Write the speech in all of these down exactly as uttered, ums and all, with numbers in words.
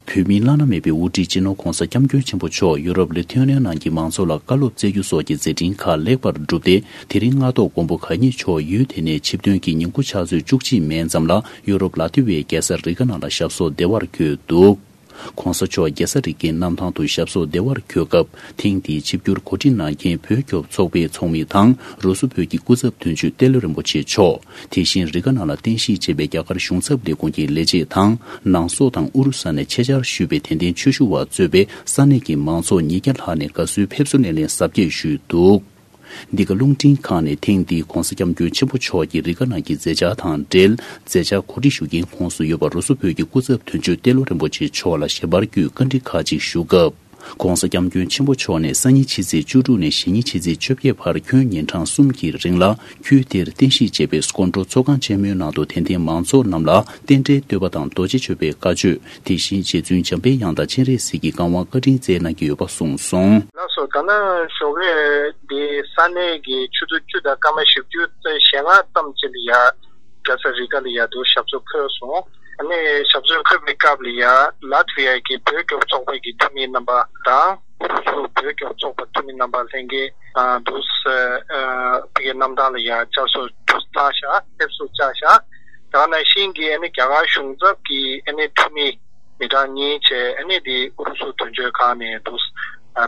བོད་མིའི་བླ་ན་མེད་པའི་དབུ་ཁྲིད་སྤྱི་ནོར་༧གོང་ས་༧སྐྱབས་མགོན་ཆེན་པོ་མཆོག་ཡུ་རོབ་ལི་ཐུ་ཨེ་ནི་ཡ་ནང་གི་མང་ཚོགས་ལ་བཀའ་སློབ་སྩལ་རྒྱུ་སོགས་ཀྱི་མཛད་འཕྲིན་ཁག་ལེགས་པར་གྲུབ་སྟེ། དེ་རིང་སྔ་ཐོག་མགོན་པོ་གང་ཉིད་མཆོག་ཡུལ་དེ་ནས་ཆིབས་ཐོན་གྱི་ཉིན་གུང་ཕྱག་ཚོད་བཅུ་གཅིག་མན་ཙམ་ལ་ཡུ་རོབ་ལ་ཏི་ཝའི་རྒྱལ་ས་རི་ག་ནང་ལ་ཞབས་སོར་བདེ་བར་འཁོད་འདུག། ྋགོང་ས་མཆོག་རྒྱལ་ས་རི་ཀའི་གནམ་ཐང་དུ་ཞབས་སོར་བདེ་བར་འཁོད་སྐབས། ཐེངས་འདིའི་ཆིབས་བསྒྱུར་གོ་སྒྲིག་གནང་མཁན་བོད་སྐྱོབ་ཚོགས་པའི་ཚོགས་མི་དང་། རུ་སུ་བོད་ཀྱི་སྐུ་ཚབ་དོན་གཅོད་ཏེ་ལོ་རིན་པོ་ཆེ་མཆོག། དེ་བཞིན་རི་ག་ནང་ལ་རྟེན་གཞི་བྱས་པའི་རྒྱ་གར་གཞུང་ཚབ་ལས་ཁུངས་ཀྱི་ལས་བྱེད་དང་། ནང་སོག་དང་ཨུ་རུ་ས་ནས་ཆེད་བཅར་ཞུས་པའི་དད་ལྡན་ཆོས་ཞུ་བ་གཙོས་པའི་ས་གནས་ཀྱི་མང་ཚོགས་ཉིས་བརྒྱ་ལྷག་ནས་དགའ་བསུའི་ཕེབས་བསུ་སྣེ་ལེན་གཟབ་རྒྱས་ཞུས་འདུག། འདི་ག་རླུང་འཕྲིན་ཁང་ནས་ཐེངས་འདིའི་ྋགོང་ས་ྋསྐྱབས་མགོན་ཆེན་པོ་མཆོག་གི་རི་ག་ནང་གི་མཛད་འཆར་དང་འབྲེལ། མཛད་འཆར་གོ་སྒྲིག་ཞུ་མཁན་ཁོངས་སུ་ཡོད་པ་རུ་སུ་བོད་ཀྱི་སྐུ་ཚབ་དོན་གཅོད་ཏེ་ལོ་རིན་པོ་ཆེ་མཆོག་ལ་ཞལ་པར་བརྒྱུད་བཀའ་འདྲི་ཁག་ཅིག་ཞུ་སྐབས། ྋགོང་ས་ྋསྐྱབས་མགོན་ཆེན་པོ་མཆོག་ནས་སང་ཉིན་ཕྱི་ཚེས་བཅུ་དྲུག་ནས་གཞེས་ཉིན་ཕྱི་ཚེས་བཅོ་བརྒྱད་བར་ཁྱོན་ཉིན་གྲངས་གསུམ་གྱི་རིང་ལ། ཁུལ་དེར་རྟེན་གཞི་བྱས་པའི་སྐུ་མགྲོན་ཚོགས་ཁང་ཆེན་མོའི་ནང་དུ་དད་ལྡན་མང་ཚོགས་རྣམས་ལ་རྟེན་འབྲེལ་བསྟོད་པ་དང་རྡོ་རྗེ་གཅོད་པའི་བཀའ་ཆོས། དེ་བཞིན་རྗེ་བཙུན་འཇམ་དཔལ་དབྱངས་དང་སྤྱན་རས་གཟིགས་ཀྱི་བཀའ་དབང་བཀའ་དྲིན་སྩལ་གནང་གི་ཡོད་པ་གསུངས་སོང་། ལགས་སོ། ད་ནི་ཞོགས་ཀས་འདི་ས་གནས་ཀྱི་ཆུ་ཚོད་བཅུ་དང་སྐར་མ་བཞི་བཅུ་རྩ་ཞེ་ལྔ་ཙམ་ཅིག་ལ་ཡ་རྒྱལ་ས་རི་ག་ལ་ཡ་དུ་ཞབས་སོར་འཁོད་སོང་། ཨ་ནི་ཞབས་སོར་འཁོད་པའི་སྐབས་ལ་ཡ་ལ་ཐི་ཝི་ཡ་གི་བོད་སྐྱོབ་ཚོགས་པ་གི་འཐུས་མི་རྣམ་པ་དང་། ཨུ་རུ་སུ་བོད་སྐྱོབ་ཚོགས་པ་འཐུས་མི་རྣམ་པ་ལྷན་རྒྱས་དུ་ཕ་གི་གནམ་ཐང་ལ་ཡ་བཅར་གསོ་དུ་བཏང་ཤག་ཕེབས་བསུ་བཅར་ཤག་དེ་ནང་བཞིན་གྱི་ཨ་ནི་རྒྱ་གར་གཞུང་ཚབ་ཀྱི་ཨ་ནི་འཐུས་མི་མི་གྲངས་གཉིས་བཅས་ཨ་ནི་དེ་ཨུ་རུ་སུ་དོན་གཅོད་ཁང་ནས་དུ་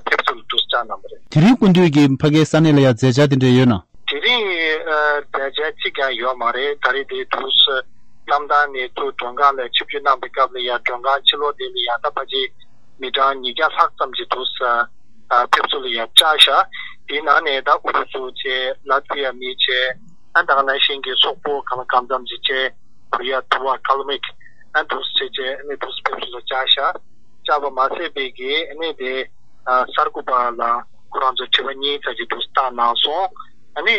ཕེབས་བསུ་ལ་དུ་བཅར་གནང་བ་རེད། དེ་རིང་སྐུ་མདུན་གྱི་ཕ་གིའི་ས་གནས་ལ་ཡང་མཛད་འཆར་དེ་འདྲ་ཡོད་ན། དེ་རིང་མཛད་འཆར་གཅིག་ཀྱང་ཡོད་མ་རེད། ད་རེས་དེ་དུས་གནམ་ཐང་ནས་ཚུར་མགྲོན་ཁང་ལ་ཆིབས་བསྒྱུར་གནང་པའི་སྐབས་ལ་ཡང་མགྲོན་ཁང་ཕྱི་ལོགས་དེ་ལ་ཡང་ད་ཕལ་ཆེར་མི་གྲངས་ཉིས་བརྒྱ་ལྷག་ཙམ་གྱི་དུས་ཕེབས་བསུ་ལ་ཡང་བཅར་ཤག་དེའི་ནང་ནས་ད་ཨུ་རུ་སུ་བཅས་ལ་ཐི་ཝི་ཡ་མི་བཅས་ཨ་ད་ག་ནང་བཞིན་གྱི་སོག་པོ་གང་ལ་གང་འཚམ་ཅིག་བཅས། ཁོ་རི་ཡ་དུ་བ་ཀལ་མིག་ཨ་འདུག་སེ་བྱས་བྱས་ཨ་ནི་འདུག་སེ་ཕེབས་བསུ་ལ་བཅར་ཤག་བཅར་བ་མ་ཟད་པའི་གི་ཨ་ནི་དེ་གསར་འགོད་པ་ལ་ཁོ་རང་ཚོ་དྲི་བ་གཉིས་ཙམ་ཅིག་འདུག་སེ་བཏང་གནང་སོང་། ཨ་ནི་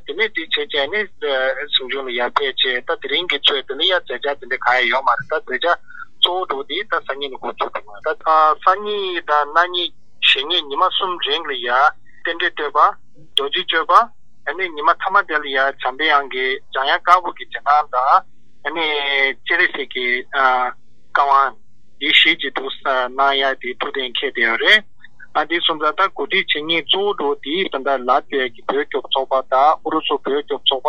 དེ་ནས་དེ་བྱས་བྱས་ཨ་ནི་གཟིམ་ཆུང་ལ་ཡར་ཕེབས་བྱས། ད་དེ་རིང་གི་ཚོད་དེ་ལ་ཡ་མཛད་འཆར་དེ་འདྲ་གང་ཡང་ཡོད་མ་རེད། ད་མཛད་འཆར་གཙོ་བོ་འདྲ་བོ་དེ་ད་སང་ཉིན་ནས་འགོ་བཙུགས་འགྲོ་གི་རེད། ད་སང་ཉིན་དང་གནངས་ཉིན་གཞེས་ཉིན་ཉི་མ་གསུམ་རིང་ལ་ཡ་རྟེན་འབྲེལ་བསྟོད་པ། རྡོ་རྗེ་གཅོད་པ། ཨ་ནི་ཉི་མ་མཐའ་མ་དེ་ལ་ཡ་འཇམ་པའི་དབྱངས་ཀྱི་འཇམ་དབྱངས་དཀར་པོ་གི་རྗེས་གནང་དང་། ཨ་ནི་སྤྱན་རས་གཟིགས་ཀྱི་ཨ་བཀའ་དབང་འདི་བཞེས་ཀྱི་འདུག་ས་གནང་ཡ་དེ་ཐུགས་གཏན་འཁེལ་བསྡད་ཡོད་རེད། ཨ་འདི་སོང་ཙང་ད་གོ་སྒྲིག་བྱེད་མཁན་གཙོ་བོ་འདྲ་བོ་དེ་ད་ལྟ་ལ་ཏི་ཝའི་གི་བོད་སྐྱོབ་ཚོགས་པ་དང་ཨུ་རུ་སུ་བོད་སྐྱོབ་ཚོགས་པ།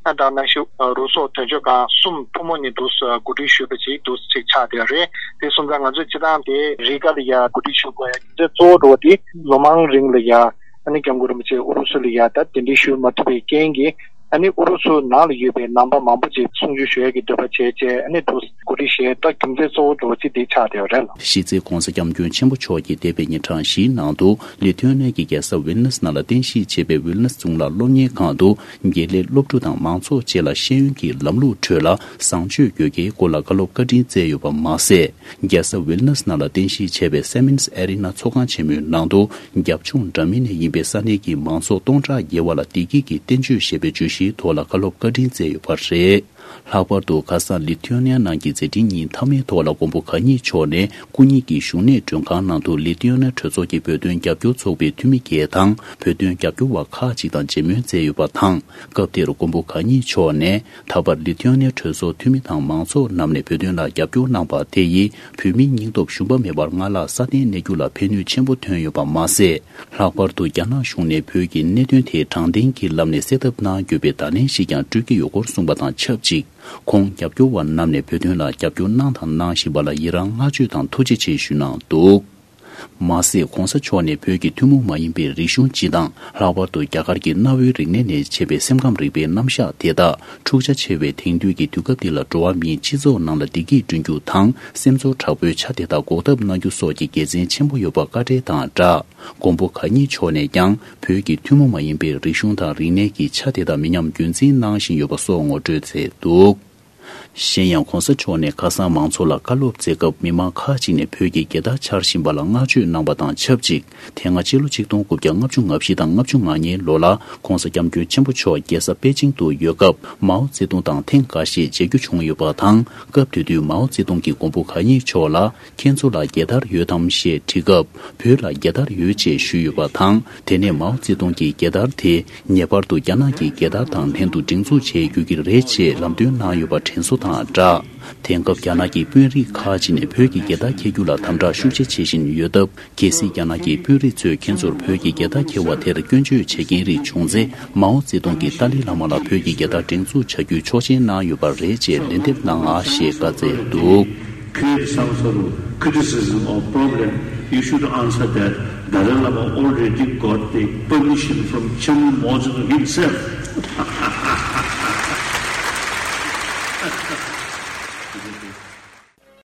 ཨ་ད་ནང་བཞིན་རུ་སོག་དོན་གཅོད་ཁང་གསུམ་ཐུན་མོང་ནས་འདུག་སེ་གོ་སྒྲིག་ཞུས་པ་ཅིག་འདུག་སེ་ཅིག་ཆགས་བསྡད་ཡོད་རེད། དེ་སོང་ཙང་ང་ཚོས་སྤྱིར་བཏང་དེ་རི་ག་ལ་ཡ་གོ་སྒྲིག་ཞུ་དགོས་ཡ་རྒྱུ་མཚན་གཙོ་བོ་འདྲ་བོ་དེ་ལོ་མང་རིང་ལ་ཡ་ཨ་ནི་སྐྱབས་མགོན་རིན་པོ་ཆེ་ཨུ་རུ་སུ་ལ་ཡ་ད་གདན་འདྲེན་ཞུ་མ་ཐུབ་པའི་རྐྱེན་གྱིས། ཨ་ནི་ཨུ་རུ་སུ་ནང་ལ་ཡོད་པའི་ནང་པ་མང་པོ་ཅིག་གསུང་ཆོས་ཞུ་ཡ་གི་འདོད་པ་བྱས་བྱས་ཨ་ནི་འདུག་གོ་སྒྲིག་བྱས། ད་རྒྱུ་མཚན་གཙོ་བོ་འདྲ་བོ་ཅིག་དེ་ཆགས་བསྡད་ཡོད་རེད་ལ། གཞི་རྩའི་ྋགོང་ས་ྋསྐྱབས་མགོན་ཆེན་པོ་མཆོག་གིས་འདས་པའི་ཉིན་གྲངས་བཞིའི་ནང་དུ་ལི་ཐུ་ཨེ་ནི་ཡ་གི་རྒྱལ་ས་ཝིལ་ནུས་ནང་ལ་རྟེན་གཞི་བྱས་པའི་ཝིལ་ནུས་རྫོང་ལ་སློབ་གཉེར་ཁང་དུ་དགེ་ལས་སློབ་ཕྲུག་དང་མང་ཚོགས་བཅས་ལ་ཤེས་ཡོན་གྱི་ལམ་ལུགས་ཁྲོད་ལ་བཟང་སྤྱོད་དགོས་གལ་སྐོར་ལ་བཀའ་སློབ་བཀའ་དྲིན་སྩལ་ཡོད་པ་མ་ཟད། རྒྱལ་ས་ཝིལ་ནུས་ནང་ལ་རྟེན་གཞི་བྱས་པའི་སེ་མིན་སི་ཨེ་རི་ན་ཚོགས་ཁང་ཆེན་མོའི་ནང་དུ་རྒྱབ་ལྗོངས་འདྲ་མིན་ནས་ཡིན་པའི་ས་གནས་ཀྱི་མང་ཚོགས་སྟོང་ཕྲག་བརྒལ་བ་ལ་བདེ་སྐྱིད་ཀྱི་བསྟན་བཅོས་ཞེས་པའི་བརྗོད་གཞིའི་ཐོག་ལ་བཀའ་སློབ་བཀའ་དྲིན་སྩལ་ཡོད་པ་རེད། ལྷག་པར་དུ་ཁ་སང་ལི་ཐུ་ཨེ་ནི་ཡ་ནང་གི་མཛད་འཕྲིན་ཉིན་མཐའ་མའི་ཐོག་ལ་མགོན་པོ་གང་ཉིད་མཆོག་ནས་སྐུ་ཉིད་ཀྱི་བཞུགས་གནས་མགྲོན་ཁང་ནང་དུ་ལི་ཐུ་ཨེ་ནི་ཡ་གྲོས་ཚོགས་ཀྱི་བོད་དོན་རྒྱབ་སྐྱོར་ཚོགས་པའི་འཐུས་མི་བརྒྱད་དང་བོད་དོན་རྒྱབ་སྐྱོར་བ་ཁག་ཅིག་དང་མཇལ་མོལ་མཛད་ཡོད་པ་དང་། སྐབས་དེར་མགོན་པོ་གང་ཉིད་མཆོག་ནས་ད་བར་ལི་ཐུ་ཨེ་ནི་ཡ་གྲོས་ཚོགས་འཐུས་མི་དང་མང་ཚོགས་རྣམས་ནས་བོད་དོན་ལ་རྒྱབ་སྐྱོར་གནང་པ་དེ་ཡིས་བོད་མིའི་སྙིང་སྟོབས་ཞུམ་པ་མེད་པར་སྔར་ལྷག་སྲ་བརྟན་གནས་རྒྱུ་ལ་ཕན་ནུས་ཆེན་པོ་ཐོན་ཡོད་པ་མ་ཟད། ལྷག་པར་དུ་རྒྱ་ནག་གཞུང་ནས་བོད་ཀྱི་གནད་དོན་དེ་དྲང་བདེན་གྱི་ལམ་ནས་སེལ་ཐབས་གནང་དགོས་པའི་བརྡ་ལན་ཞིག་ཀྱང་སྤྲོད་ཀྱི་ཡོད་སྐོར་གསུངས་པ་དང་ཆབས་ཅིག་ཁོང་རྒྱབ་སྐྱོར་བ་རྣམས་ནས་བོད་དོན་ལ་རྒྱབ་སྐྱོར་གནང་དང་གནང་བཞིན་པ་ལ་ཡི་རང་བསྔགས་བརྗོད་དང་ཐུགས་རྗེ་ཆེ་ཞུས་གནང་འདུག། མ་ཟད་༧གོང་ས་མཆོག་ནས་བོད་ཀྱི་ཐུན་མོང་མ་ཡིན་པའི་རིག་གཞུང་སྤྱི་དང་། ལྷག་པར་དུ་རྒྱ་གར་གྱི་གནའ་བོའི་རིག་གནས་ནས་མཆེད་པའི་སེམས་ཁམས་རིག་པའི་རྣམ་གཞག་དེ་དག་འཁྲུག་ཆ་ཆེ་བའི་དེང་དུས་ཀྱི་དུས་སྐབས་འདི་ལ་འགྲོ་བ་མིའི་སྤྱི་ཚོགས་ནང་ལ་བདེ་སྐྱིད་བསྐྲུན་རྒྱུ་དང་། སེམས་ཚོར་དྲག་པོའི་ཆ་དེ་དག་འགོག་ཐབས་གནང་རྒྱུ་སོགས་ཀྱི་དགེ་མཚན་ཆེན་པོ་ཡོད་པ་བཀའ་འགྲེལ་དང་སྦྲགས། མགོན་པོ་གང་ཉིད་མཆོག་ནས་ཀྱང་བོད་ཀྱི་ཐུན་མོང་མ་ཡིན་པའི་རིག་གཞུང་དང་རིག་གནས་ཀྱི་ཆ་དེ་དག་མི་ཉམས་རྒྱུན་འཛིན་གནང་བཞིན་ཡོད་པ་སོགས་ངོ་སྤྲོད་མཛད་འདུག། གཞན་ཡང་༧གོང་ས་མཆོག་ནས་ཁ་སང་མང་ཚོགས་ལ་བཀའ་སློབ་སྩལ་སྐབས། མི་མང་ཁག་ཅིག་ནས་བོད་ཀྱི་རྒྱལ་དར་འཕྱར་བཞིན་པ་ལ་བསྔགས་བརྗོད་གནང་བ་དང་ཆབས་ཅིག་དེ་སྔ་ཕྱི་ལོ་ཆིག་སྟོང་དགུ་བརྒྱ་ལྔ་བཅུ་ང་བཞི་དང་ལྔ་བཅུ་ང་གཉིས་ལོ་ལ་༧གོང་ས་༧སྐྱབས་མགོན་ཆེན་པོ་མཆོག་རྒྱལ་ས་པེ་ཅིང་དུ་ཡོད་སྐབས། མའོ་ཙེ་ཏུང་དང་ཐེངས་འགའ་ཤས་མཇལ་རྒྱུ་བྱུང་ཡོད་པ་དང་། སྐབས་དེ་དུས་མའོ་ཙེ་ཏུང་གིས་མགོན་པོ་གང་ཉིད་མཆོག་ལ། ཁྱེད་ཚོ་ལ་རྒྱལ་དར་ཡོད་དམ་ཞེས་དྲིས་སྐབས། བོད་ལ་རྒྱལ་དར་ཡོད་ཅེས་ཞུས་ཡོད་པ་དང་། དེ་ནས་མའོ་ཙེ་ཏུང་གིས་རྒྱལ་དར་དེ་ངེས་པར་དུ་རྒྱ་ནག་གི་རྒྱལ་དར་དང་ལྷན་དུ་སྒྲེང་འཛུགས་བྱེད་དགོས་ཀྱི་རེད་ཅེས་ལམ་སྟོན་གནང་ཡོད་པ། དྲན་གསོ་དང་སྦྲགས། དེང་སྐབས་རྒྱ་ནག་གི་དཔོན་རིགས་ཁག་ཅིག་ནས་བོད་ཀྱི་རྒྱལ་དར་འཁྱེར་རྒྱུ་ལ་དམ་དྲག་ཤུགས་ཆེ་བྱེད་བཞིན་ཡོད་སྟབས། གལ་སྲིད་རྒྱ་ནག་གི་དཔོན་རིགས་ཚོས་ཁྱེད་ཚོར་བོད་ཀྱི་རྒྱལ་དར་འཁྱེར་བ་དེར་སྐྱོན་བརྗོད་བྱེད་མཁན་རིགས་བྱུང་ཚེ། མའོ་ཙེ་ཏུང་གིས་ཏཱ་ལའི་བླ་མ་ལ་བོད་ཀྱི་རྒྱལ་དར་སྒྲེང་འཛུགས་བྱ་རྒྱུའི་ཆོག་མཆན་གནང་ཡོད་པ་རེད་ཅེས་ལན་འདེབས་གནང་ཞེས་བཀའ་སྩལ་འདུག། Create some sort of criticism or problem, you should answer that Dalai Lama already got the permission from Chairman Mao Zedong himself.